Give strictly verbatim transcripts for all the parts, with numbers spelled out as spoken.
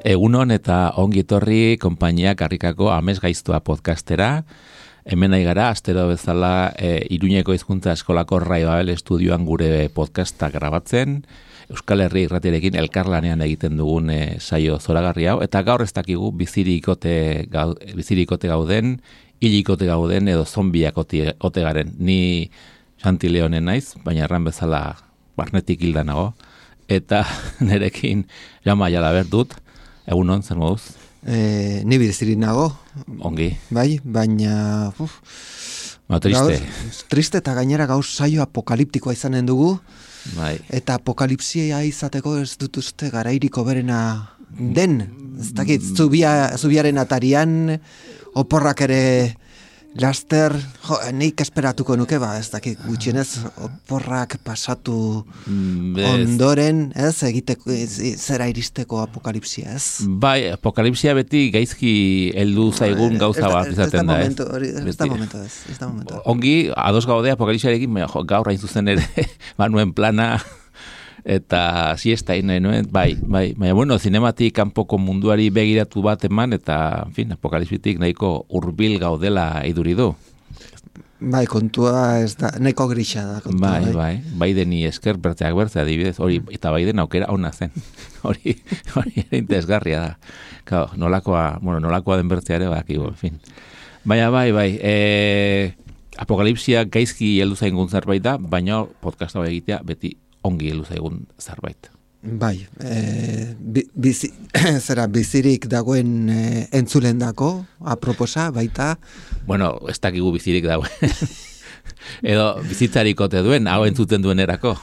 Egunon eta ongi etorri konpainia karrikako Amez Gaiztoa podcastera. Hemen nahi gara, astero bezala e, Iruñeko hizkuntza eskolako Rai Babel estudioan gure podcasta grabatzen. Euskal Herri irratiarekin elkarlanean egiten dugun e, saio zoragarri hau. Eta gaur ez dakigu bizirikote, gau, bizirikote gauden, hilikote gauden edo zombiak ote, ote garen. Ni Santi Leonen naiz, baina erran bezala barnetik hilda nago. Eta nerekin Jama Jalaber dut. Egunon, zer moduz? E, ni bizirik nago. Ongi. Bai, baina... Uf, ba, triste. Gauz, triste eta gainera gauz saio apokaliptikoa izanen dugu. Bai. Eta apokalipsia izateko ez dut uste garairiko berena den. Ez dakit, zubia, zubiaren atarian, oporrak ere laster, jo, nik esperatuko nuke, ba, ez dakit, gutxienez oporrak pasatu ondoren, ez, egiteko, ez, zera iristeko apokalipsia, ez? Bai, apokalipsia beti gaizki heldu zaigun gauza bat izaten da, ez? Ez da momento, ez, ez da momento. Ongi, ados gaude apokalipsiarekin, gaur hain zuzen ere, banuen plana, eta siesta nahi nuen, bai, bai, baina bueno, zinematik kanpoko munduari begiratu bat eman, eta, en fin, apokalipsitik nahiko hurbil gaudela iduri du. Bai, kontua ez da, nahiko grisa da kontua. Bai, bai, bai deni esker bertzeak bertze, adibidez, hori, eta bai den aukera ona zen, hori, hori ere interesgarria da. Claro, nolakoa, bueno, nolakoa den bertzea ere, baki, en fin. Baina, bai, bai, e, apokalipsia gaizki heldu zaigun zerbait da, baina podcasta egitea beti ongi heldu zaigun zerbait. Bai, e, bizi, zera bizirik dagoen e, entzulendako, aproposa, baita. Bueno, ez dakigu bizirik dagoen. Edo bizitzarikote duen, hau entzuten duen erako.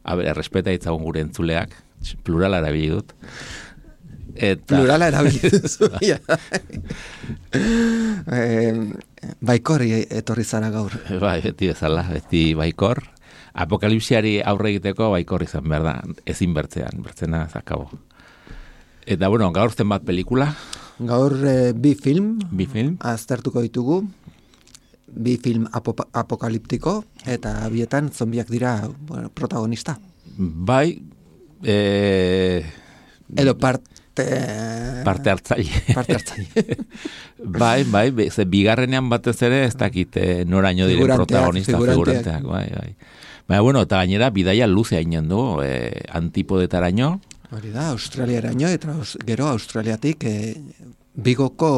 A ber, errespeta itzagun gure entzuleak, plurala erabili dut. Eta... Plurala erabili duzu. e, baikor etorri zara gaur. Bai, beti bezala, beti baikor. Apokalipsiari aurre egiteko baikor izan behar da, ezin bertzean, bertzena zakabo. Eta, bueno, gaur zenbat pelikula? Gaur e, bi film, bi film, aztertuko ditugu, bi film apo- apokaliptiko, eta bietan zombiak dira bueno, protagonista. Bai, e... edo parte... Parte hartzaile. Parte hartzaile. bai, bai, ze bigarrenean batez ere, ez dakit noraino diren protagonista, figuranteak, bai, bai. Baina, bueno, eta gainera, bidaia luze hainen du, eh, antipodetaraino. Hori da, Australiaraino, eta aus, gero Australiatik eh, Bigoko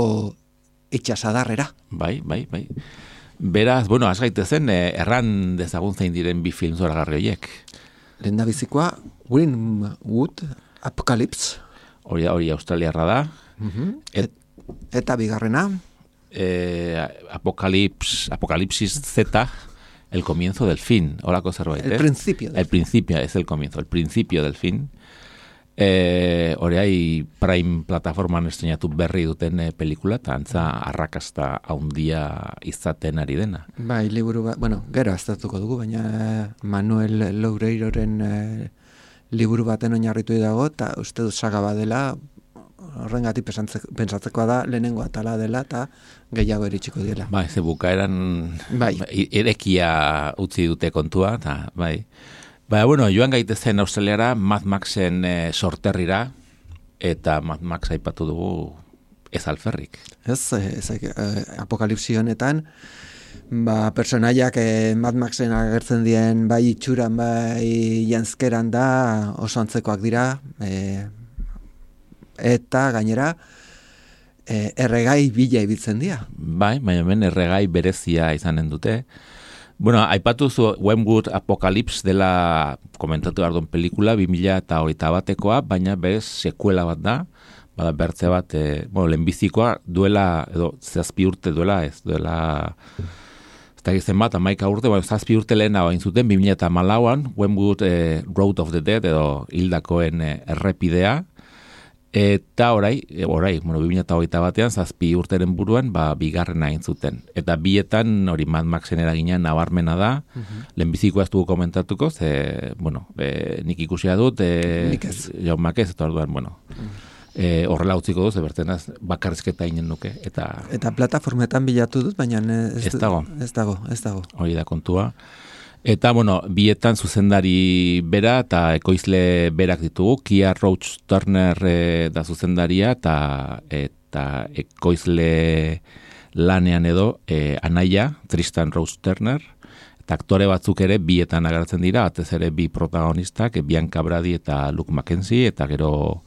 itxasadarrera. Bai, bai, bai. Beraz, bueno, az gaitezen, eh, erran dezagun zein diren bi film zoragarri horiek. Lehen da bizikoa, Greenwood Apocalypse. Hori da, hori australiarra da. Uh-huh. Et, eta bigarrena? Eh, Apocalips, Apocalipsis Z, el comienzo del fin. Horako zerbait, El eh? principio. Del el principio, es el comienzo, el principio del fin. Eh, hori hai Prime plataforman estrenatu berri duten eh, pelikula, eta antza arrakasta haundia izaten ari dena. Bai, liburu bat, bueno, gero aztertuko dugu, baina Manuel Loureiroren eh, liburu baten oinarritu dago, eta uste dut saga badela, horrengatik pentsatzekoa da, lehenengo atala dela, eta gehiago eritxiko dela. Bai, ze bukaeran bai. erekia utzi dute kontua, eta bai. Baina, bueno, joan gaitezen Australiara, Mad Maxen e, sorterrira, eta Mad Max aipatu dugu ez alferrik. Ez, ez, eh, apokalipsi honetan, ba, personaiak eh, Mad Maxen agertzen dien bai itxuran, bai janzkeran da, oso antzekoak dira, eh, eta gainera eh, erregai bila ibiltzen dira. Bai, baina hemen erregai berezia izanen dute. Bueno, aipatu zu Greenwood Apocalypse dela komentatu behar duen pelikula, bi mila eta hogeita batekoa, baina berez sekuela bat da, bada bertze bat, e, bueno, lehenbizikoa duela, edo zazpi urte duela, ez duela, ez da gizten bat, amaika urte, bueno, zazpi urte lehena bain zuten, bi mila eta malauan, Greenwood e, Road of the Dead, edo hildakoen e, errepidea, eta orai, e, orai, bueno, bi mila eta hogeita batean, zazpi urteren buruan, ba, bigarrena egin zuten. Eta bietan, hori Mad Maxen eragina nabarmena da, uh-huh. Lehenbizikoa ez dugu komentatuko, ze, bueno, e, nik ikusia dut, e, nik ez. Jaun Makez, eta orduan, bueno, uh-huh. e, horrela utziko duz, ebertenaz, bakarrizketa inen nuke. Eta, eta plataformetan bilatu dut, baina ez, ez dago. Ez dago, ez dago. Hori da kontua. Eta, bueno, bietan zuzendari bera eta ekoizle berak ditugu, Kia Roach Turner e, da zuzendaria eta, eta ekoizle lanean edo e, anaia, Tristan Roach Turner, eta aktore batzuk ere bietan agertzen dira, batez ere bi protagonistak, e, Bianca Brady eta Luke Mackenzie, eta gero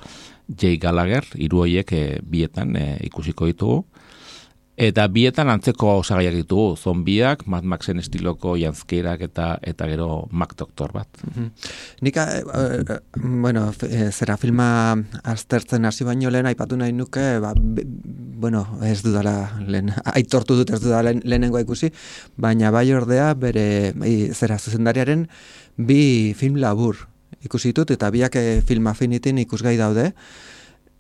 Jay Gallagher, hiru horiek e, bietan e, ikusiko ditugu. Eta bietan antzeko osagaiak ditugu, zombiak, Mad Maxen estiloko janzkeirak eta eta gero Mac Doctor bat. Mm-hmm. Nik, uh, bueno, e, zera filma aztertzen hasi baino lehen aipatu nahi nuke, ba, be, bueno, ez dudala, lehen, aitortu dut ez dudala lehen, lehenengoa ikusi, baina bai ordea bere, e, zera zuzendariaren bi film labur ikusi ditut, eta biak Film Affinitin ikusgai daude,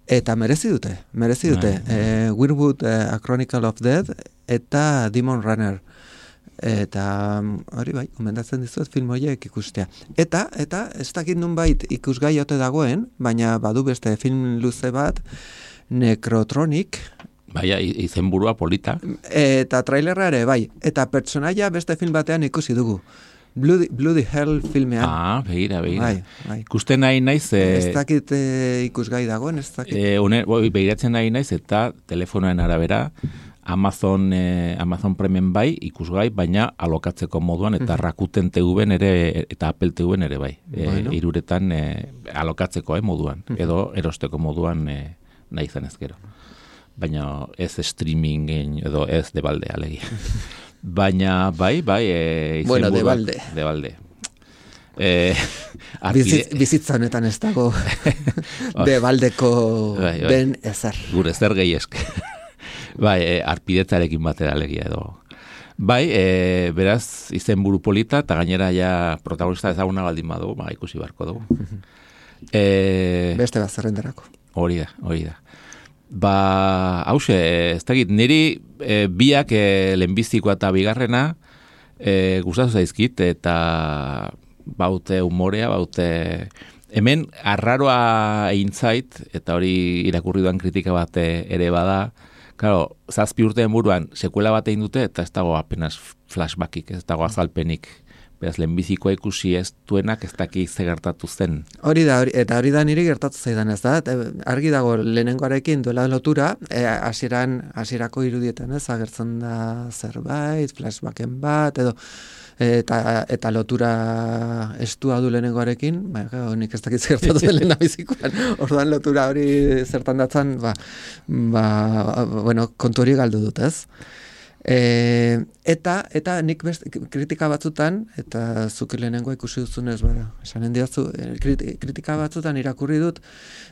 eta merezi dute, merezi dute. Eh, Weirwood, eh, A Chronicle of Death eta Demon Runner. Eta hori bai, gomendatzen dizuet film horiek ikustea. Eta, eta ez dakit nunbait ikusgai ote dagoen, baina badu beste film luze bat, Necrotronic. Baina, izenburua polita. Eta trailerra ere, bai. Eta pertsonaia beste film batean ikusi dugu. Bloody, Bloody Hell filmean. Ah, begira, begira. Bai, bai. Ikusten nahi naiz... Eh, ez dakit eh, ikusgai dagoen, ez dakit. Eh, une, boi, begiratzen nahi naiz eta telefonoen arabera Amazon, eh, Amazon Prime bai ikusgai, baina alokatzeko moduan eta Rakuten T V-en ere eta Apple T V-en ere bai. Eh, bueno. Iruretan eh, alokatzeko eh, moduan, edo erosteko moduan eh, nahi zen ezkero. Baina ez streamingen edo ez de balde alegia. Baina, bai, bai... E, bueno, de balde. De balde. E, Bizitz, bizitza honetan ez dago de baldeko bai, bai. ben ezer. Gure ezer gehiesk. Bai, e, arpidetzarekin batera alegia edo. Bai, e, beraz, izenburu polita, eta gainera ja protagonista ezaguna baldin badu, ba, ikusi barko dugu. e, Beste bat zerrenderako. Hori da, hori da. Ba, hause, ez dakit, niri e, biak e, lehenbizikoa eta bigarrena e, gustatu zaizkit, eta baute humorea, baute... Hemen, arraroa egin zait, eta hori irakurri duan kritika bat ere bada, claro, zazpi urteen buruan sekuela bat egin dute, eta ez dago apenas flashbackik, ez dago azalpenik. Beraz, lehenbizikoa ikusi ez duenak ez daki ze gertatu zen. Hori da, hori, eta hori da niri gertatu zaidan ez da. Argi dago lehenengoarekin duela lotura, hasieran e, hasierako irudietan ez, agertzen da zerbait, flashbacken bat, edo eta, eta lotura estua du lehenengoarekin, ba, honik ez dakit gertatu den lehenabizikoan, orduan lotura hori zertan datzan, ba, ba, bueno, kontu hori galdu dut ez. E, eta eta nik best, kritika batzutan, eta zuk lehenengoa ikusi duzunez, bera, esanen diatzu, kritika batzutan irakurri dut,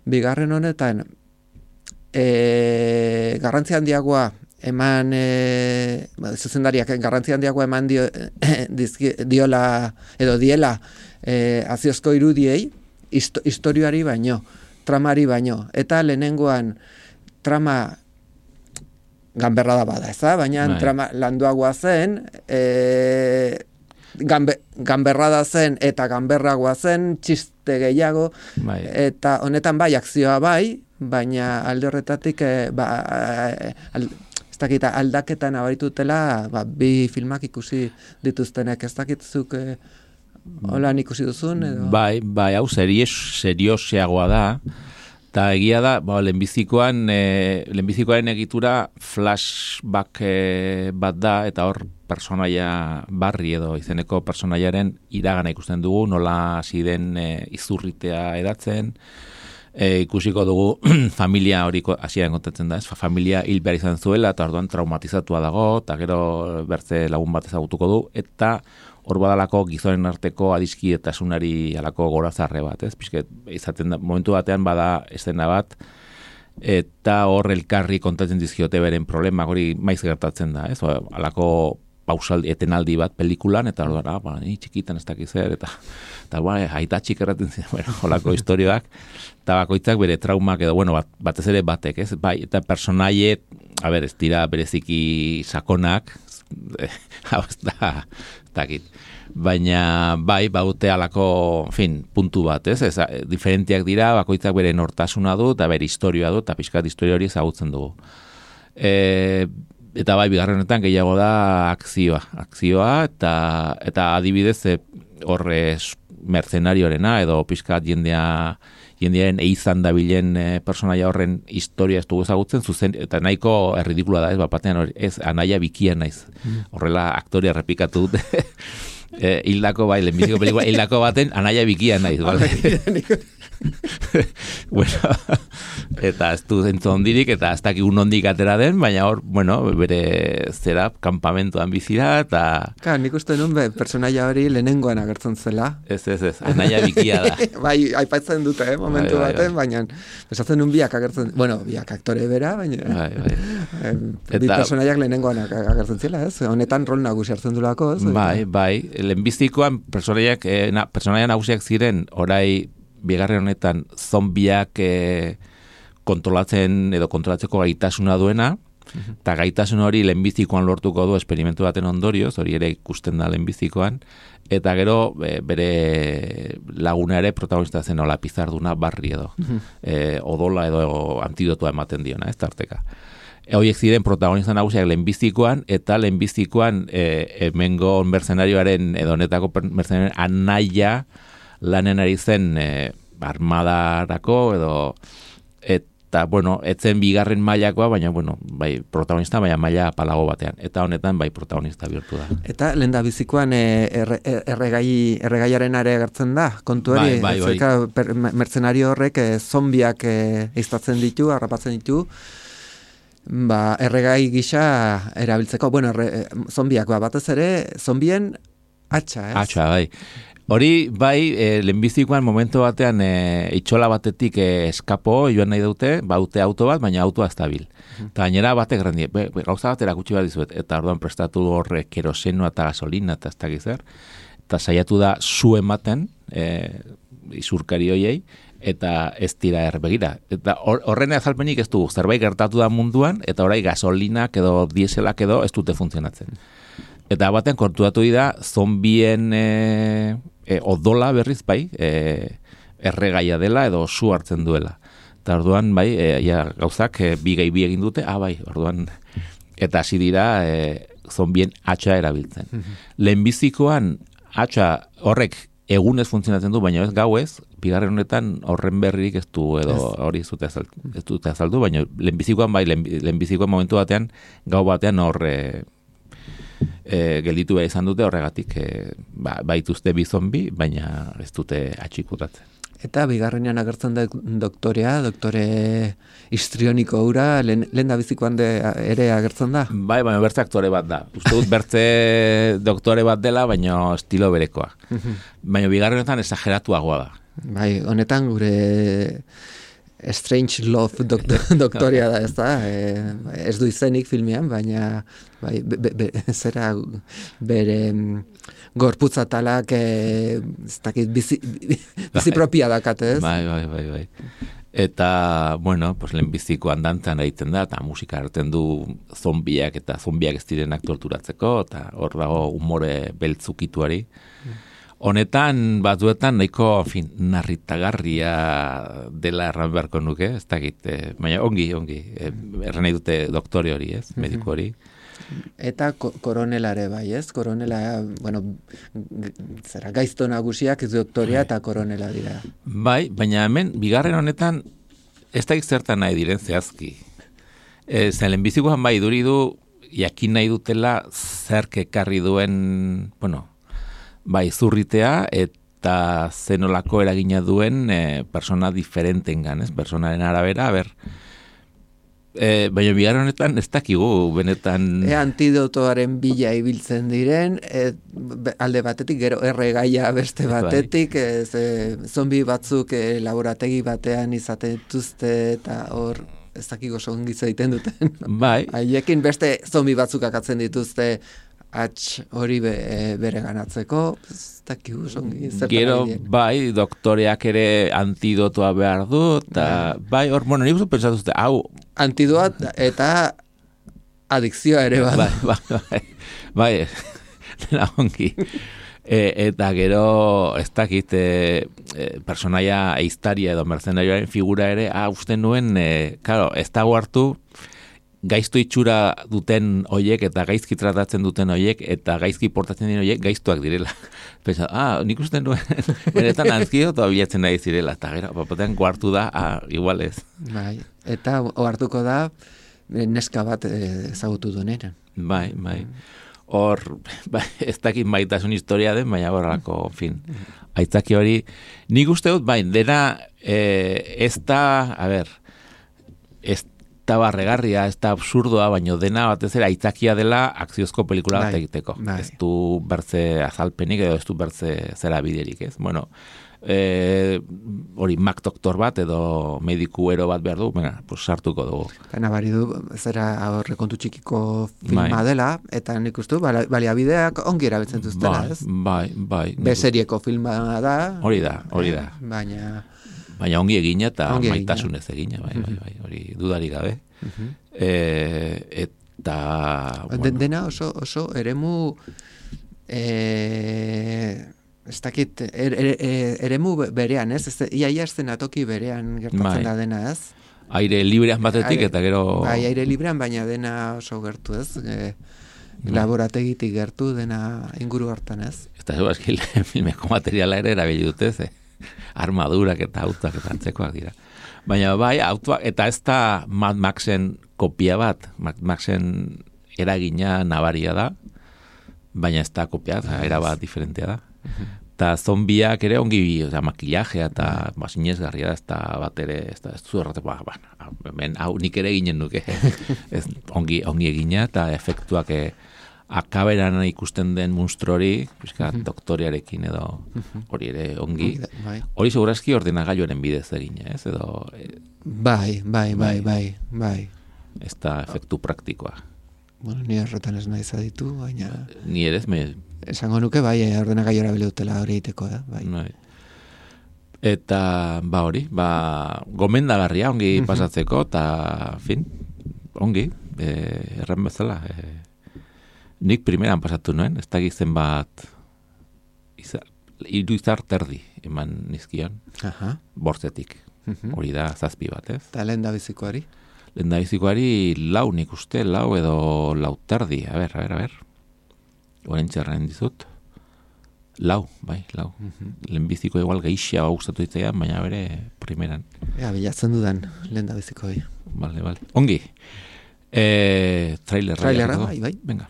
bigarren honetan, e, garrantzi handiagoa eman, e, zuzendariak garrantzi handiagoa eman dio, dizki, diola, edo diela, e, aziozko irudiei, histo, historioari baino, tramari baino, eta lehenengoan trama ganberra da bada, eza? Baina trama landuagoa zen, e, ganbe, ganberra da zen eta ganberragoa zen, txiste gehiago, bai. Eta honetan bai, akzioa bai, baina alde horretatik e, ba, al, ez dakit, aldaketan abaritutela ba, bi filmak ikusi dituztenek, ez dakitzuk e, holan ikusi duzun? Edo? Bai, bai, hau serioseagoa da, eta egia da, ba, lehenbizikoan, e, lehenbizikoaren egitura flashback e, bat da, eta hor personaia barri edo izeneko personaiaren iragana ikusten dugu, nola hasi den e, izurritea edatzen, e, ikusiko dugu familia hori hasieran kontatzen da, ez? Familia hil behar izan zuela, eta orduan traumatizatua dago, eta gero bertze lagun bat ezagutuko du, eta hor badalako gizonen arteko adiskidetasunari alako gorazarre bat, ez? Pizket, izaten da, momentu batean bada estena bat, eta hor elkarri kontatzen dizkiote beren problema, hori maiz gertatzen da, ez? Alako pausaldi, etenaldi bat pelikulan, eta hor da, ba, ni txikitan ez dakiz zer, eta, eta ba, aita txik erraten ziren, bueno, holako historioak, eta bakoitzak bere traumak edo, bueno, bat, batez ere batek, ez? Bai, eta personaie, a ber, ez dira bereziki sakonak, hau ez da, takit. Baina bai, baute alako, en fin, puntu bat, ez? Ez, diferentiak dira, bakoitzak bere nortasuna du, eta bere historioa du, eta pixkat historia hori ezagutzen dugu. E, eta bai, bigarren honetan gehiago da akzioa. Akzioa, eta, eta adibidez, e, horre mercenariorena, edo pixkat jendea, jendearen eizan dabilen e, personaia horren historia ez dugu ezagutzen, zuzen, eta nahiko erridikula da, ez, bapatean hori, ez, anaia bikia naiz. Horrela aktoria repikatu dute. E, hildako bai, lehenbiziko pelikula, hildako baten anaia bikia naiz, bale? Bueno, eta ez du zentzu ondirik, eta ez dakik un ondik atera den, baina hor, bueno, bere zera, kampamentuan bizira, eta... Ka, nik uste nun be, personaia hori lehenengoan agertzen zela. Ez, ez, ez, anaia bikia da. Bai, aipatzen dute, eh, momentu bai, bai, baten, bai. baina pesatzen nun biak agertzen, bueno, biak aktore bera, baina... Bai, bai. Eh, bi Eta- personaiak lehenengoan ag- agertzen zela, ez? Honetan rol nagusi hartzen dulako, ez? Bai, bai, lehenbizikoan personaiak, eh, na, personaia nagusiak ziren, orai, bigarren honetan, zombiak eh, kontrolatzen edo kontrolatzeko gaitasuna duena, eta gaitasun hori lehenbizikoan lortuko du esperimentu baten ondorioz, hori ere ikusten da lehenbizikoan, eta gero e, bere laguna ere protagonista zen hola pizarduna barri edo, e, odola edo antidotua ematen diona, ez tarteka. E, horiek ziren protagonista nagusiak lehenbizikoan, eta lehenbizikoan e, hemengo mercenarioaren edo honetako per- mercenarioaren anaia lanen ari zen e, armadarako edo eta bueno, etzen bigarren mailakoa, baina bueno, bai protagonista baina maila palago batean. Eta honetan bai protagonista bihurtu da. Eta lehen da bizikoan eh, erre, erregai, erregaiaren are agertzen da, kontu hori, Bai, bai, bai. zerka per- mertzenario horrek eh, zombiak eh, eiztatzen ditu, harrapatzen ditu, ba, erregai gisa erabiltzeko, bueno, erre, zombiak, ba, batez ere, zombien atxa, ez? Atxa, bai. Hori, bai, e, lehenbizikoan momentu batean e, itxola batetik e, eskapo joan nahi dute, baute auto bat, baina autoa ez dabil. Eta gainera batek grandi, be, be, gauza bat erakutsi bat dizuet, eta orduan prestatu horre kerosenoa eta gasolina eta ez dakiz zer, eta saiatu da zu ematen, e, izurkari hoiei, eta ez dira erbegira. Eta hor- horren azalpenik ez dugu, zerbait gertatu da munduan, eta orai gasolinak edo dieselak edo ez dute funtzionatzen. Eta batean kontuatu dira zombien e, e, odola berriz bai, e, erregaia dela edo su hartzen duela. Eta orduan bai, e, ja, gauzak e, bi gehi bi egin dute, ah bai, orduan, eta hasi dira e, zombien atxa erabiltzen. Lehenbizikoan atxa horrek egunez funtzionatzen du, baina ez gauez, bigarren honetan horren berririk ez du, edo hori ez dute azaldu, ez dute azaldu, baina lehenbizikoan bai, lehen- lehenbizikoan momentu batean, gau batean hor e, e, gelditu behar izan dute horregatik e, ba, baituzte bi zombi, baina ez dute atxikutatzen. Eta bigarrenean agertzen da doktorea, doktore histrioniko hura, lehen, lehen da bizikoan de, ere agertzen da. Bai, baina bertze aktore bat da. Uste dut bertze doktore bat dela, baina estilo berekoa. Baina bigarrenetan esageratuagoa da. Bai, honetan gure Strange Love doktor, doktoria da, ez da? E, ez du izenik filmean, baina bai, be, be, be, zera bere mm, gorputza talak e, ez dakit, bizi, bizi propia dakate, ez? Bai, bai, bai, bai. Eta, bueno, pues lehenbiziko andantzan egiten da, eta musika hartzen du zombiak, eta zombiak ez direnak torturatzeko, eta hor dago umore beltzukituari. Honetan, batzuetan, nahiko, en fin, narritagarria dela erran beharko nuke, ez dakit, eh, baina ongi, ongi, eh, erran nahi dute doktore hori, ez, mediku hori. Eta ko koronelare bai, ez? Koronela, bueno, g- zera, gaizto nagusiak ez doktoria eta koronela dira. Bai, baina hemen, bigarren honetan, ez dakit zertan nahi diren zehazki. E, zen lehenbizikoan bai duri du, jakin nahi dutela zerk ekarri duen, bueno, bai zurritea, eta zenolako eragina duen e, persona diferentengan, ez? Personaren arabera, a ber, e, baina bigarren honetan ez dakigu, benetan... E antidotoaren bila ibiltzen diren, e, be- alde batetik, gero erregaia beste batetik, e, ze, zombi batzuk e, laborategi batean izaten dituzte eta hor ez dakiko zongi egiten duten. Bai, Haiekin beste zombi batzuk akatzen dituzte atx hori be, e, bere ganatzeko, ez dakigu zongi zertan gero ari diren. bai, doktoreak ere antidotoa behar du, eta bai, hor, bueno, nik uste pentsatu zute, hau, Antidoat eta adikzioa ere bada. bai, bai, bai, dela ongi. E, eta gero, ez dakit, e, e, personaia eiztaria edo mercenarioaren figura ere, ah, uste nuen, e, claro, ez dago hartu, gaizto itxura duten hoiek eta gaizki tratatzen duten hoiek eta gaizki portatzen diren hoiek gaiztuak direla. Pensa, ah, nik uste nuen, benetan antzio eta bilatzen nahi zirela, eta gero, papatean guartu da, ah, igual ez. Bai, eta ohartuko da, neska bat ezagutu duenean. Bai, bai. Hor, bai, ez dakit maitasun historia den, baina horrelako, fin, aitzaki hori, nik uste dut, bai, dena, eh, ez da, a ber, ez da barregarria, ez da absurdoa, baina dena batez ere aitzakia dela akziozko pelikula bat egiteko. Bai. Ez du bertze azalpenik edo ez du bertze zera biderik, ez? Bueno, e, hori Mac doktor bat edo mediku ero bat behar du, bueno, pues sartuko dugu. Eta nabari du, zera horre kontu txikiko filma Bai. dela, eta nik uste du, baliabideak ongi erabiltzen duztela, Bai, ez? bai, bai. Beserieko filma da. Hori da, hori da. Baina... Baina ongi egina eta Ongi egina. maitasunez egina, bai, bai, bai, hori dudari gabe. Mhm. E, eta... De- bueno, Dena oso, oso eremu... E, ez dakit, er, er, er, eremu berean, ez? Ez, iaia eszenatoki berean gertatzen Bai. da dena, ez? aire librean batetik Aire- eta gero... Bai, aire librean, baina dena oso gertu, ez? E, laborategitik gertu, dena inguru hartan, ez? Eta zeu aski filmeko materiala ere erabili dute, ze armadurak eta autuak eta antzekoak dira. Baina bai, autuak, eta ez da Mad Maxen kopia bat, Mad Maxen eragina nabaria da, baina ez da kopia, era bat diferentea da. Eta zombiak ere ongi, oza, makillajea eta ba, sinezgarria da, ez da bat ere, ez da, ez du errate, ba, ba, hemen, hau nik ere eginen nuke, ez, ongi, ongi egina, eta efektuak e, akaberan ikusten den monstru hori, pixka, doktoriarekin edo, hori ere ongi, Bai, hori segurazki ordenagailuaren bidez egina, ez, edo, e, bai, bai, bai, bai, bai. ez da efektu praktikoa. Bueno, ni horretan ez nahi zaditu, baina... Ni ere ez, me, Esango nuke, bai, ordenagailu erabili dutela hori egiteko, eh? Bai. bai. Eta, ba hori, ba, gomendagarria ongi pasatzeko, eta, fin, ongi, e, erran bezala, e, nik primeran pasatu nuen, ez dakit zenbat, izar, hiru izar terdi eman nizkion, Aha. bortzetik, Mhm. hori da zazpi bat, ez? Eta lehen da bizikoari. Lehendabizikoari lau nik uste, lau edo lau terdi, a ber, a ber, a ber, orain txerren dizut, lau, bai, lau. Lehenbiziko igual geixia gustatu ditzaian, baina bere primeran. Ea, bilatzen dudan lehen da bizikoi. Vale, vale. Ongi. Eh, trailerra. Trailerra, jarriko? bai, bai. Venga.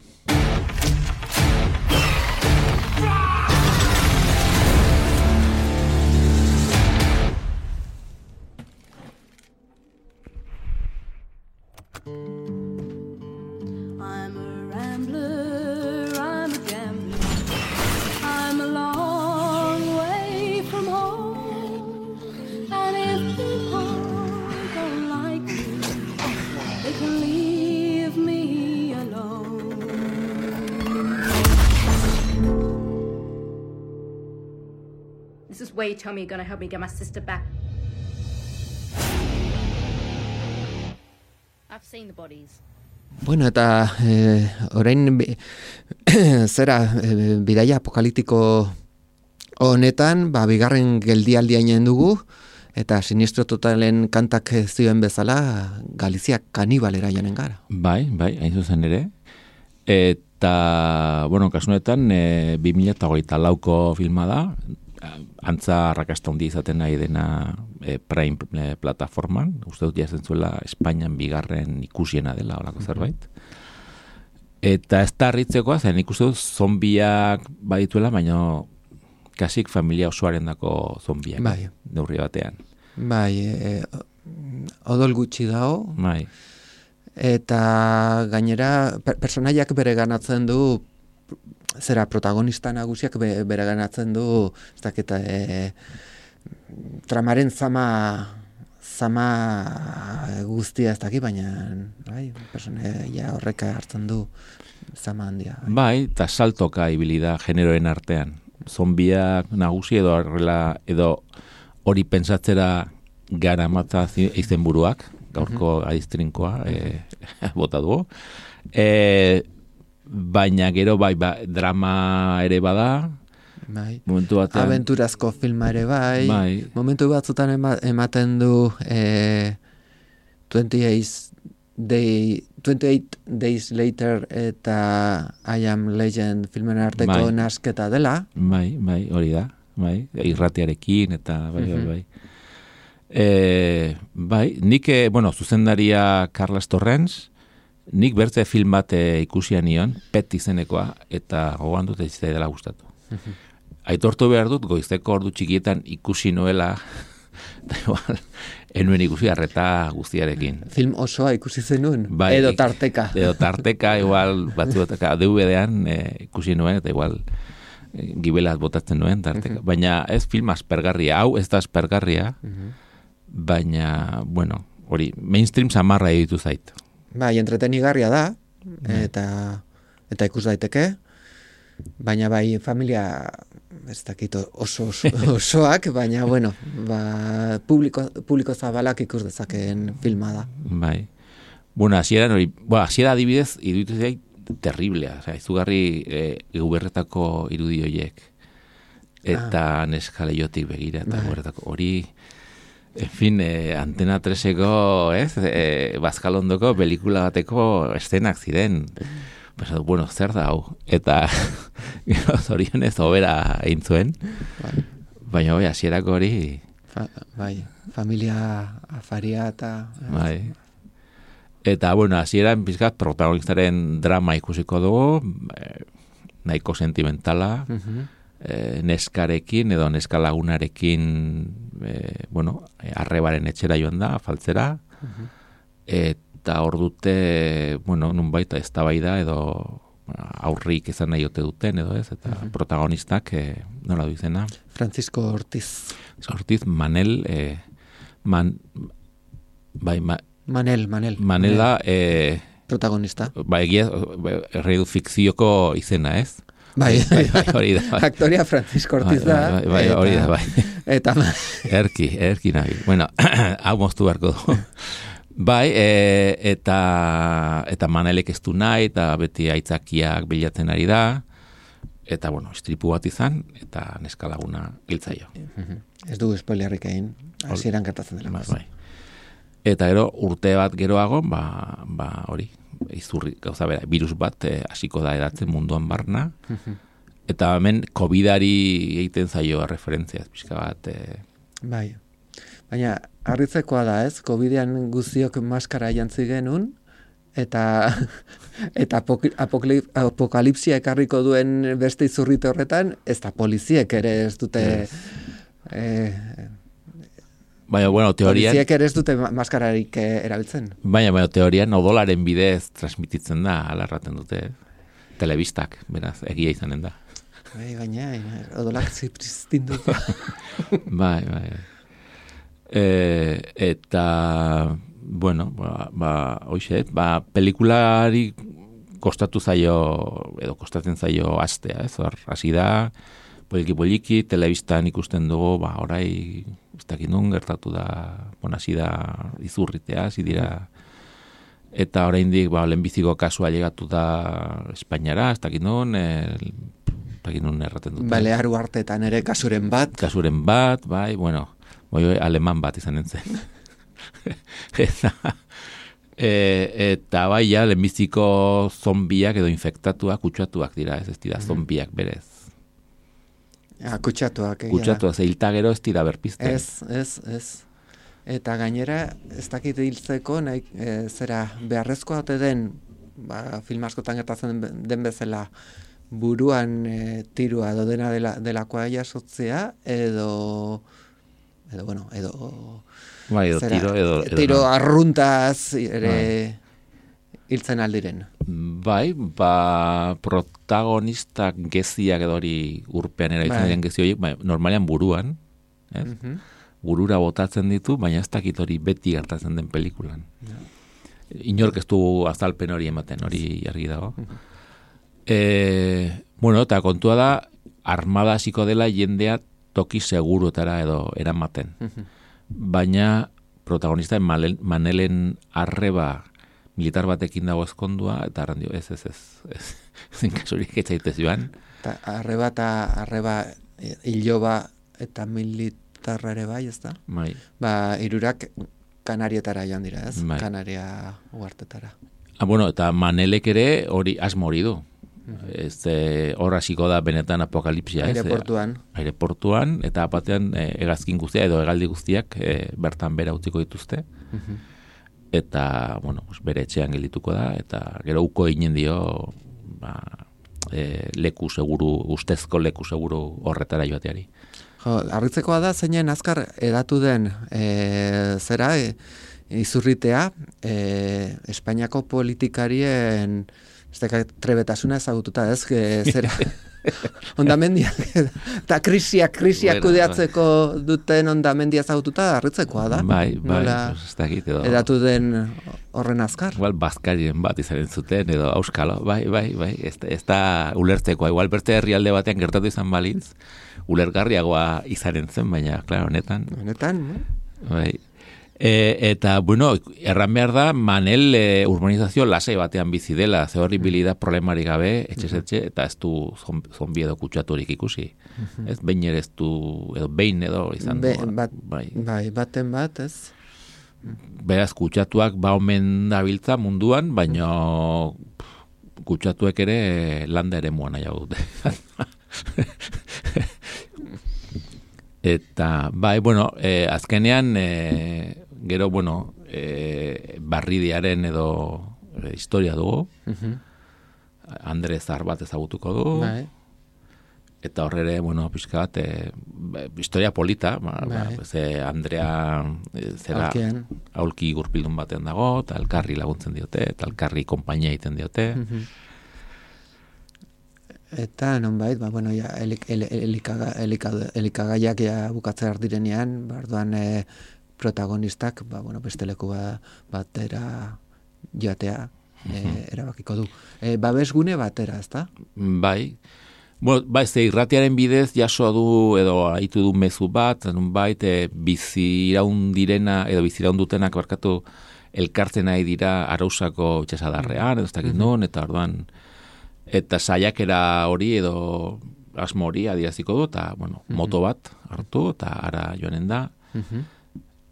I'm a rambler, I'm a gambler, I'm a long way from home. And if people don't like me, they can leave me alone. This is where you tell me you're gonna help me get my sister back. I've seen the bodies. Bueno, eta eh, orain bi- zera eh, bidaia apokaliptiko honetan, ba, bigarren geldialdia inen dugu, eta Sinistro Totalen kantak zioen bezala, Galizia kanibalera janen gara. Bai, bai, hain zuzen ere. Eta, bueno, kasunetan, e, bi mila hogeita lauko filma da, antza arrakasta handi izaten nahi dena e, Prime e, plataforman, uste dut jazen zuela Espainian bigarren ikusiena dela olako zerbait. Eta ez da harritzekoa, zen ikuste dut zombiak badituela, baina kasik familia osoaren dako zombiak, Bai. neurri batean. Bai, e, odol gutxi dago, Bai, eta gainera per, personaiak bere ganatzen du, zera protagonista nagusiak be, bere ganatzen du, ez dakit, e, tramaren zama zama guztia ez dakit, baina bai, personaia horrek hartzen du zama handia. Bai. bai, eta saltoka ibili da generoen artean. Zombiak nagusi edo horrela edo hori pentsatzera gara matza izenburuak, gaurko adiztrinkoa e, bota dugu. E, baina gero bai, ba, drama ere bada, Bai. momentu batean. Abenturazko filma ere bai, Bai. momentu batzutan ema, ematen du e, twenty-eight Day, twenty-eight Days Later eta I Am Legend filmen arteko Bai. nasketa dela. Bai, bai, hori da, bai, irratiarekin eta bai, bai, Mhm. bai. E, bai, nik, eh, bueno, zuzendaria Carles Torrens, nik bertze film bat eh, ikusia nion, Pet izenekoa, eta gogoan dut ez dela gustatu. Aitortu behar dut, goizeko ordu txikietan ikusi noela, da igual, enuen ikusi arreta guztiarekin. Film osoa ikusi zenuen, Bai, edo ik- tarteka. Edo tarteka, igual, batzuetaka, D V D-an eh, ikusi nuen, eta igual, eh, gibelat botatzen nuen, tarteka. Baina ez film aspergarria, hau ez da aspergarria, baina, bueno, hori, mainstream samarra editu zait. Bai, entretenigarria da, eta eta ikus daiteke, baina bai familia ez dakit oso, oso osoak, baina bueno, ba, publiko, publiko zabalak ikus dezakeen filma da. Bai. Bueno, hasieran hori, bueno, hasiera adibidez, iruditu zait terriblea, osea, izugarri eh, guberretako irudi horiek. Eta neskaleiotik begira, eta Bai. guberretako hori, en fin, eh, Antena treseko, ez, eh, Bazkalondoko pelikula bateko eszenak ziren. Pues, bueno, zer da hau? Eta zorionez obera egin zuen. Bai, Baina, bai, hasierako hori, fa, bai familia afaria eta... bai. Eta, bueno, hasieran pizkat protagonistaren drama ikusiko dugu, eh, nahiko sentimentala, Mhm. eh, neskarekin edo neskalagunarekin, eh, bueno, eh, arrebaren etxera joan da, faltzera, eta hor dute, bueno, nunbait eztabaida edo aurrik izan nahi ote duten edo ez, eta protagonistak, eh, nola du izena? Francisco Ortiz. Ortiz, Manel, eh, man, bai, ma, Manel, Manel. Manel da, eh, protagonista. ba, egia, erreidu fikzioko izena, ez? Bai, bai, bai, hori da, bai. Aktoria Francisco Ortiz Bai, da. bai, bai, eta- hori da, bai. Eta Erki, erki nahi. Bueno, hau moztu beharko du. Bai, e, eta eta Manelek ez du nahi, eta beti aitzakiak bilatzen ari da, eta, bueno, istripu bat izan, eta neskalaguna hiltzaio. ez du spoilerrik egin, hasieran gertatzen dela. Bai, bai. Eta gero, urte bat geroago, ba, ba hori, izurri, gauza bera, virus bat eh, hasiko da edatzen munduan barna, eta hemen COVIDari egiten zaio referentziaz, pixka bat, eh, Bai. Baina, harritzekoa da, ez? Covidean guztiok maskara jantzi genuen, eta eta apok- apokli- apokalipsia ekarriko duen beste izurrite horretan, ez da poliziek ere ez dute... Eh, baina, bueno, teorian, poliziek ere ez dute ma- maskararik eh, erabiltzen. baina, baina, teorian odolaren bidez transmititzen da, ala erraten dute, telebistak, beraz, egia izanen da. Bai, baina, odolak zipristin dut. Bai, bai. E, eta, bueno, ba, ba hoxe, ba, pelikulari kostatu zaio, edo kostatzen zaio astea, ez, hor, hasi da, poliki-poliki, telebistan ikusten dugu, ba, orai, ez dakit nun, gertatu da, bon, hasi da izurritea, hasi dira, eta oraindik ba, lehenbiziko kasua llegatu da Espainiara, ez dakit nun, el, ez dakit nun erraten dute. Balearu artetan ere kasuren bat. Kasuren bat, bai, bueno, bai, aleman bat izan nintzen. eta, e, eta bai, ja, lehenbiziko zombiak edo infektatuak, kutsatuak dira, ez ez dira zombiak berez. Ja, kutsatuak. egia da. Kutsatuak, zeilta gero ez dira berpizten. Ez, ez, ez. Eta gainera, ez dakit hiltzeko, nahi, e, zera, beharrezkoa ote den, ba, film askotan gertatzen den- den bezala, buruan e, tirua edo dena dela, delakoa jasotzea, edo, edo, bueno, edo, Bai, edo zera, tiro, edo... edo tiro no. arruntaz ere hiltzen aldiren. Bai, ba, protagonistak geziak edo hori urpean erabiltzen Bai. diren gezi horiek, bai, normalean buruan, ez? Mhm. Burura botatzen ditu, baina ez dakit hori beti gertatzen den pelikulan. Inork ez du azalpen hori ematen, hori argi dago. E, bueno, eta kontua da, armada hasiko dela jendea toki seguruetara edo eramaten. Baina protagonista Manel, Manelen arreba militar batekin dago ezkondua, eta arran dio, ez, ez, ez, ez, zen kasurik etzaitez joan. Ta, arreba eta arreba e, iloba eta militarra ere bai, ez da? Bai, Ba, irurak Kanarietara joan dira, ez? Bai. Kanaria uhartetara. Ah, bueno, eta Manelek ere hori asmo hori du. Ez, eh, hor hasiko da benetan apokalipsia. ez? Aireportuan. Aireportuan, eta batean eh, hegazkin guztia edo hegaldi guztiak eh, bertan bera utziko dituzte. Eta, bueno, pues bere etxean geldituko da, eta gero uko eginen dio ba, eh, leku seguru, ustezko leku seguru horretara joateari. Jo, harritzekoa da zeinen azkar edatu den e, zera e, izurritea e, Espainiako politikarien ez deka trebetasuna ezagututa ez, que zera ondamendiak eta krisiak, krisiak Bueno, kudeatzeko duten ondamendia ezagututa harritzekoa da. Bai, bai, Nola pues, ez dakit edo. edatu den horren azkar. Igual bazkarien bat izaren zuten, edo auskalo, bai, bai, bai, ez, ez da ulertzekoa. Igual beste herrialde batean gertatu izan balitz, ulergarriagoa izaren zen, baina, klaro, honetan, Honetan, no? bai. E, eta, bueno, erran behar da, Manel e, urbanizazio lasai batean bizi dela, ze horri bilida problemari gabe, etxez etxe, eta ez du zon- zombi edo kutsaturik ikusi. Ez, behin ere ez du, edo behin edo izan Be, du. bat, bai. bai, baten bat, ez? Beraz, kutsatuak ba omen dabiltza munduan, baina kutsatuek ere landa ere muan nahiago dute. Eta, bai, bueno, eh, azkenean, eh, gero, bueno, eh, barridiaren edo eh, historia dugu, Andre Zar bat ezagutuko du, Bai. eta horrere, bueno, pixka bat, eh, historia polita, ba, ba, Bai. ze Andrea eh, zera Aulkian. aulki gurpildun batean dago, eta elkarri laguntzen diote, eta elkarri konpainia egiten diote. Eta nonbait, ba, bueno, ja, elik, el, elikaga, elikaga, elikagaiak ja bukatzea direnean, barduan e, protagonistak, ba, bueno, beste leku ba, batera joatea e, erabakiko du. E, babesgune batera, ezta? Bai, bueno, bai, ze irratiaren bidez jaso du edo haitu du mezu bat, nonbait e, bizi iraun direna edo bizi iraun dutenak barkatu elkartzen nahi dira Arausako itxasadarrean, edo ez dakit non, eta orduan eta saiakera hori edo asmo hori adieraziko du, eta, bueno, moto bat hartu, eta ara joanen da.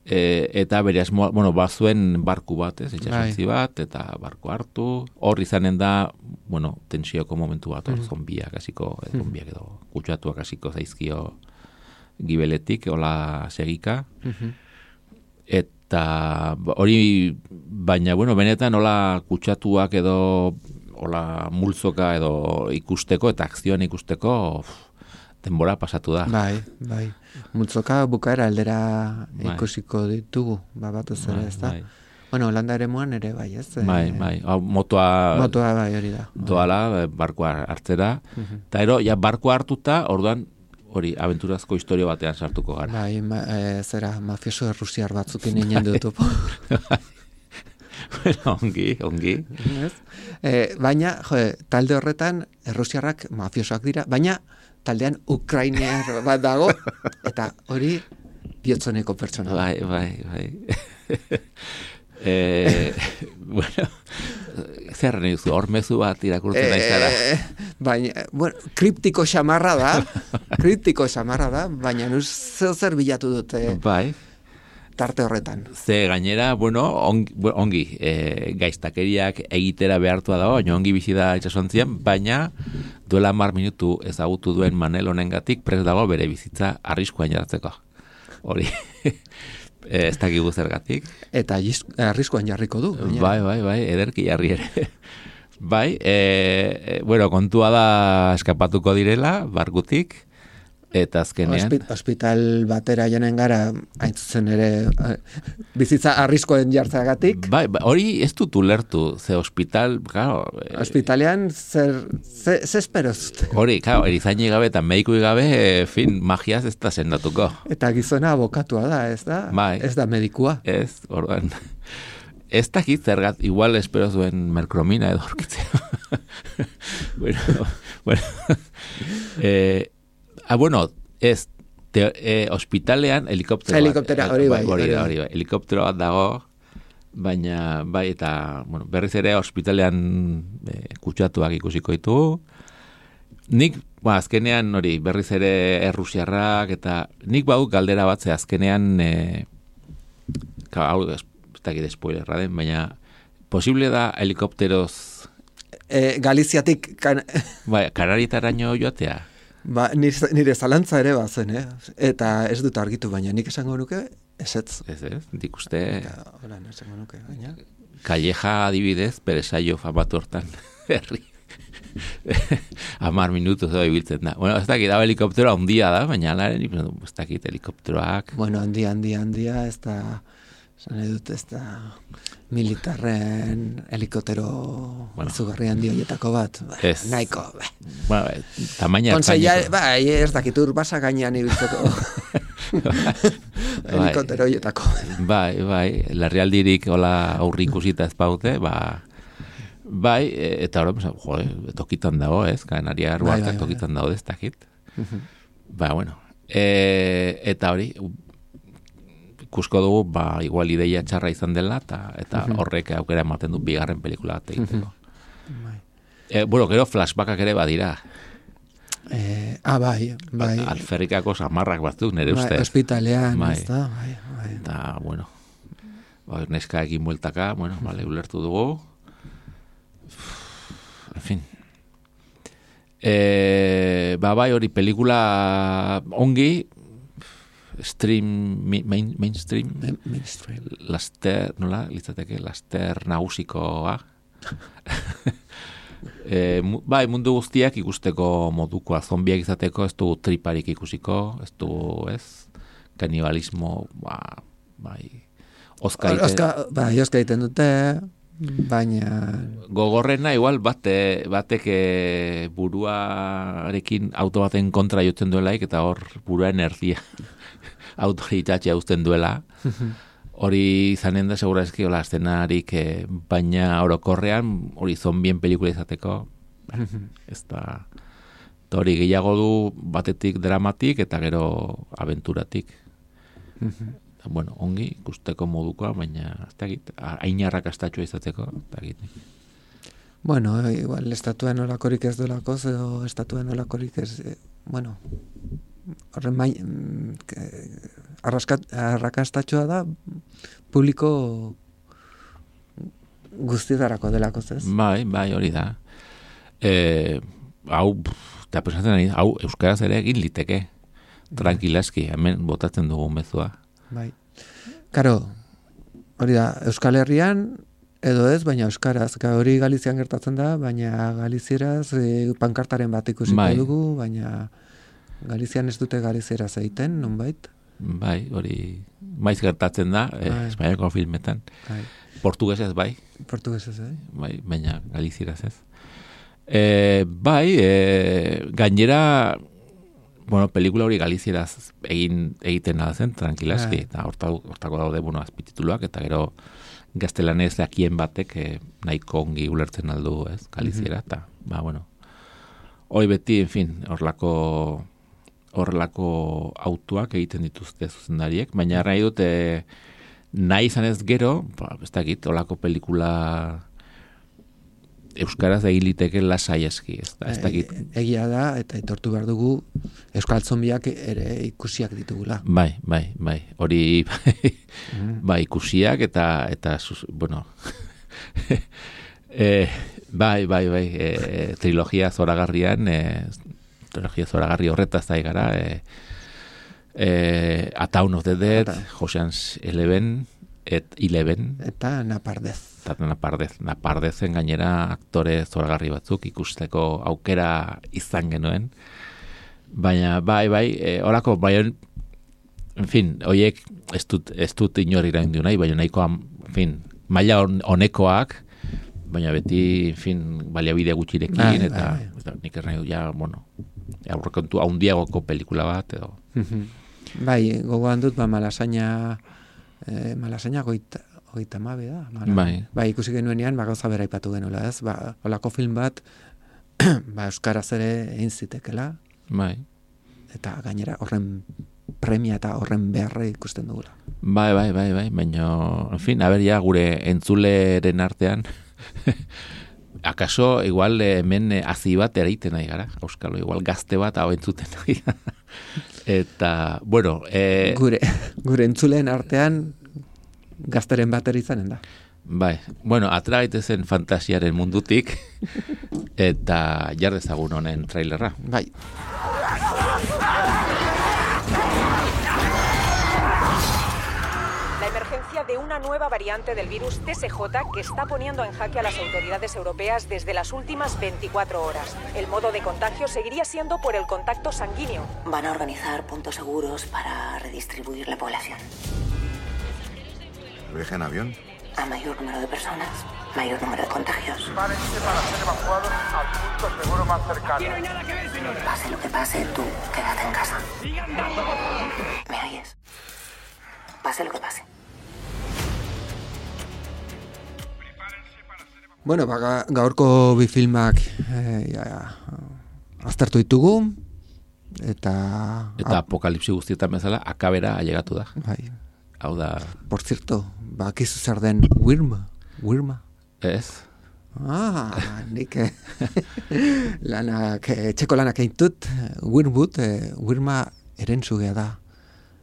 E, eta bere asmoa, bueno, bazuen barku bat, ez, itxasontzi bat, eta barku hartu, hor izanen da, bueno, tensioko momentu bat, hor zombiak hasiko, eh, zombiak edo kutsatuak hasiko zaizkio gibeletik, hola segika, eta hori, baina, bueno, benetan hola kutsatuak edo hola multzoka edo ikusteko eta akzioan ikusteko uf, denbora pasatu da. Bai, bai. Multzoka bukaera aldera Bai. ikusiko ditugu, ba, batez ere, Bai, ezta? bai. Bueno, Holanda eremuan ere bai, ez? E, Bai, bai. Hau, motoa Motoa bai hori da. doala, eh, barkua hartzera. Eta ero, ja, barkua hartuta, orduan, hori, abenturazko historia batean sartuko gara. Bai, ma, e, zera, mafioso errusiar batzukin inen dutu. Bueno, ongi, ongi. Ez? E, baina, jo, talde horretan errusiarrak mafiosoak dira, baina taldean ukrainiar bat dago, eta hori bihotzoneko pertsona. da. Bai, bai, bai. eh, bueno, zer nahi duzu, hor mezu bat irakurtzen nahi zara. Eh, baina, bueno, kriptiko xamarra da, kriptiko xamarra da, baina nuz zeo zer bilatu dute Bai. tarte horretan. Ze gainera, bueno, ongi, ongi e, gaiztakeriak egitera behartua dago, baina ongi bizi da itsasontzian, baina duela hamar minutu ezagutu duen Manel honengatik prest dago bere bizitza arriskuan jartzeko. Hori, e, ez dakigu zergatik. Eta jiz- arriskuan jarriko du. gainera. Bai, bai, bai, ederki jarri ere. Bai, e, e, bueno, kontua da eskapatuko direla, barkutik, eta azkenean... Hospi- Hospital batera joanen gara, hain zuzen ere, eh, bizitza arriskoen jartzeagatik. Bai, bai, hori ez dut ulertu, ze hospital, claro, e, Hospitalean zer, ze, ze espero zute? hori, claro, erizainik gabe eta medikui gabe, e, fin, magiaz ez da sendatuko. Eta gizona abokatua da, ez da? Bai. Ez da medikua. Ez, orduan, ez dakit zergat, igual espero zuen merkromina edo aurkitzea. bueno, bueno, eh, ah, bueno, ez, te, eh, hospitalean helikoptero bat- Helikoptera, hori bai, hori hori da, bai. hori bai, helikoptero bat dago, baina, bai, eta, bueno, berriz ere hospitalean eh, kutsatuak ikusiko ditugu. Nik, ba, azkenean, hori, berriz ere errusiarrak, eta nik bau galdera bat, ze azkenean, eh, ka, hau, ez dakit spoilerra den, baina posible da helikopteroz E, Galiziatik, kan, bai, Kanarietaraino joatea? ba, nire, nire zalantza ere bazen, eh? Eta ez dut argitu, baina nik esango nuke, ezetz. Ez ez, dik uste... Eta, hola, esango nuke, baina... Calleja adibidez, bere saio famatu hortan, herri. Amar minutu zo ibiltzen da. Bueno, ez dakit, hau helikopteroa handia da, baina alaren, ez dakit, helikopteroak... Bueno, handia, handia, handia, ez da... Zan edut, ez da... Militarren helikoptero bueno. izugarri handi horietako bat. Ba, Ez. nahiko, ba. Bueno, tamaina Konseia, ertaineko. bai, ez dakit urbasa gainean ibiltzeko helikoptero horietako. Bai, bai, larrialdirik hola aurri ikusita ez baute, ba... Bai, e, eta hori, jo, tokitan dago, ez? Kanariar Bai, Arruakak bai, bai. tokitan dago, ez dakit. Ba, bueno. E, eta hori, ikusko dugu, ba, igual ideia txarra izan dela, eta, eta horrek aukera ematen du bigarren pelikula bat egiteko. Bai. E, bueno, gero flashbackak ere badira. Eh, ah, bai, bai. Alferrikako samarrak batzuk, nire Bai, ustez. hospitalean, Bai. ez da, bai, bai. Eta, bueno, ba, neska egin bueltaka, bueno, bale, ulertu dugu. En fin. E, ba, bai, hori pelikula ongi, stream, main, mainstream, Mainstream. laster, nola, litzateke, laster nagusikoa. e, mu, bai, mundu guztiak ikusteko modukoa, zombiak izateko, ez du triparik ikusiko, ez du, ez, kanibalismo, ba, bai, oska ite- Oska, bai, oska egiten dute, baina... Gogorrena igual bate, batek e, buruarekin auto baten kontra jotzen duelaik, eta hor buruaren erdia autori itxatxea uzten duela. Hori izanen da, segura eski, hola, eszenarik, e, baina orokorrean, hori zombien pelikula izateko, ba, ez da, eta hori gehiago du batetik dramatik, eta gero aventuratik. Bueno, ongi, ikusteko modukoa, baina, ez dakit, hain arrakastatxoa izateko, ez dakit. Bueno, igual, estatuen olakorik ez dolako, edo estatuen olakorik ez, eh, bueno, horren mai, arraskat, arrakastatxoa da, publiko guztietarako delako, ez? Bai, bai, hori da. E, hau, eta pensatzen ari, hau, euskaraz ere egin liteke, tranquilaski, hemen botatzen dugu mezua. Bai. Karo, hori da, Euskal Herrian, edo ez, baina euskaraz, ka hori Galizian gertatzen da, baina Galizieraz e, pankartaren bat ikusiko Bai. dugu, baina Galizian ez dute Galizieraz egiten, nonbait? Bai, hori maiz gertatzen da, eh, Bai. Espainiako filmetan. Bai. Portugesez bai, Portugesez, eh? bai, baina galizieraz ez. E, bai, e, gainera, bueno, pelikula hori galizieraz egin egiten da zen, tranquilaski, Bai. eta horta, hortako daude, bueno, azpitituluak, eta gero gaztelanez dakien batek eh, nahiko ongi ulertzen aldu, ez, galiziera, eta, ba, bueno, hori beti, en fin, horlako horrelako autuak egiten dituzte zuzendariek, baina nahi dute nahi izan ez gero, ba, ez dakit, horlako pelikula euskaraz egin liteke lasai eski, ez, da, ez dakit. E, egia da, eta aitortu behar dugu, Euskal Zombiak ere ikusiak ditugula. Bai, bai, bai, hori bai, bai ikusiak eta, eta sus, bueno, e, bai, bai, bai, e, trilogia zoragarrian, e, trilogia zoragarri horretaz da gara, e, e, A Town of the Dead, Ata. Ocean's Eleven, et Eleven, Eta Napardez. eta napardez, napardezen gainera aktore zoragarri batzuk ikusteko aukera izan genuen. Baina, bai, bai, e, orako, bai, en fin, oiek ez dut, ez dut inor iraindu nahi, baina nahikoa, en fin, maila hon- honekoak, baina beti, en fin, baliabide gutxirekin, Bai, eta, bai, eta nik ernahi du, ja, bueno, aurrekontu haundiagoko pelikula bat, edo, Bai, gogoan dut, ba, Malasaina, eh, Malasaina goita, goita mabe da. Mala, Bai. Bai, ikusi genuenean, ba, gauza bera ipatu genuela, ez? Ba, holako film bat, ba, euskaraz ere egin zitekela, bai. eta gainera horren premia eta horren beharra ikusten dugula. Bai, bai, bai, bai, baina, en fin, a ber, ja, gure entzuleren artean, akaso, igual, hemen eh, hazi bat ereiten nahi gara, auskalo, igual gazte bat hau entzuten nahi gara. Eta, bueno, eh, Gure, gure entzuleen artean, gazteren bateri izanen da. Bai, bueno, atera gaitezen fantasiaren mundutik, eta jar dezagun honen trailerra. Bai. La emergencia de una nueva variante del virus T S J que está poniendo en jaque a las autoridades europeas desde las últimas veinticuatro horas. El modo de contagio seguiría siendo por el contacto sanguíneo. Van a organizar puntos seguros para redistribuir la población. ¿Viaje en avión? A mayor número de personas, mayor número de contagios. Prepárense para ser evacuados al punto seguro más cercano. Pase lo que pase, tú quédate en casa. ¿Me oyes? Pase lo que pase. Bueno, ba, ga- gaurko bi filmak eh, ja, aztertu ditugu, eta... Eta apokalipsi guztietan bezala, akabera ailegatu da. Bai, Hau da, por cierto, bakizu zer den Wirma, Wirma. ez? Ah, nik eh, lanak, eh, txeko lanak egin dut, Wirwood, eh, Wirma erentzugea da.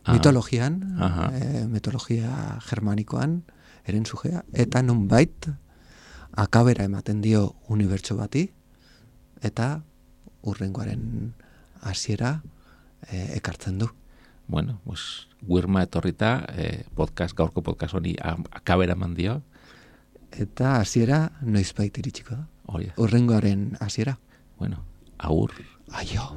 Ah. Mitologian, Aha. eh, mitologia germanikoan, erentzugea, eta nonbait akabera ematen dio unibertso bati, eta urrengoaren hasiera eh, ekartzen du. Bueno, pues, Wirma etorrita, eh, podcast, gaurko podcast honi a- akabera eman dio, Eta hasiera noizbait iritsiko da. hori da. Urrengoaren hasiera. Bueno, agur. Aio.